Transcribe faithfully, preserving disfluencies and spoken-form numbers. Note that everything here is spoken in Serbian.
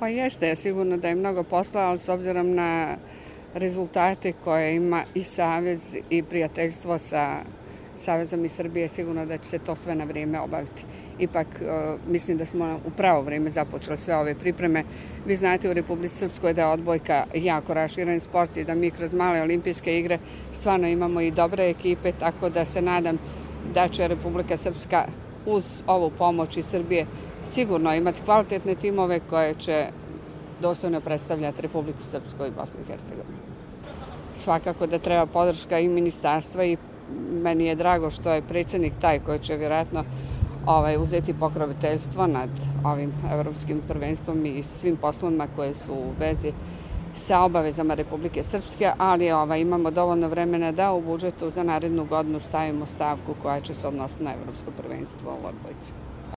Pa jeste, sigurno da je mnogo posla, ali s obzirom na rezultate koje ima i Savez i prijateljstvo sa Savezom i Srbije, sigurno da će se to sve na vrijeme obaviti. Ipak mislim da smo u pravo vrijeme započeli sve ove pripreme. Vi znate u Republici Srpskoj da je odbojka jako raširen sport i da mi kroz male olimpijske igre stvarno imamo i dobre ekipe, tako da se nadam da će Republika Srpska uz ovu pomoć iz Srbije sigurno imati kvalitetne timove koje će dostojno predstavljati Republiku Srpsku i Bosnu i Hercegovinu. Svakako da treba podrška i ministarstva i meni je drago što je predsjednik taj koji će vjerojatno ovaj, uzeti pokroviteljstvo nad ovim evropskim prvenstvom i svim poslovima koje su u vezi sa obavezama Republike Srpske, ali ovaj, imamo dovoljno vremena da u budžetu za narednu godinu stavimo stavku koja će se odnositi na evropsko prvenstvo u odbojci.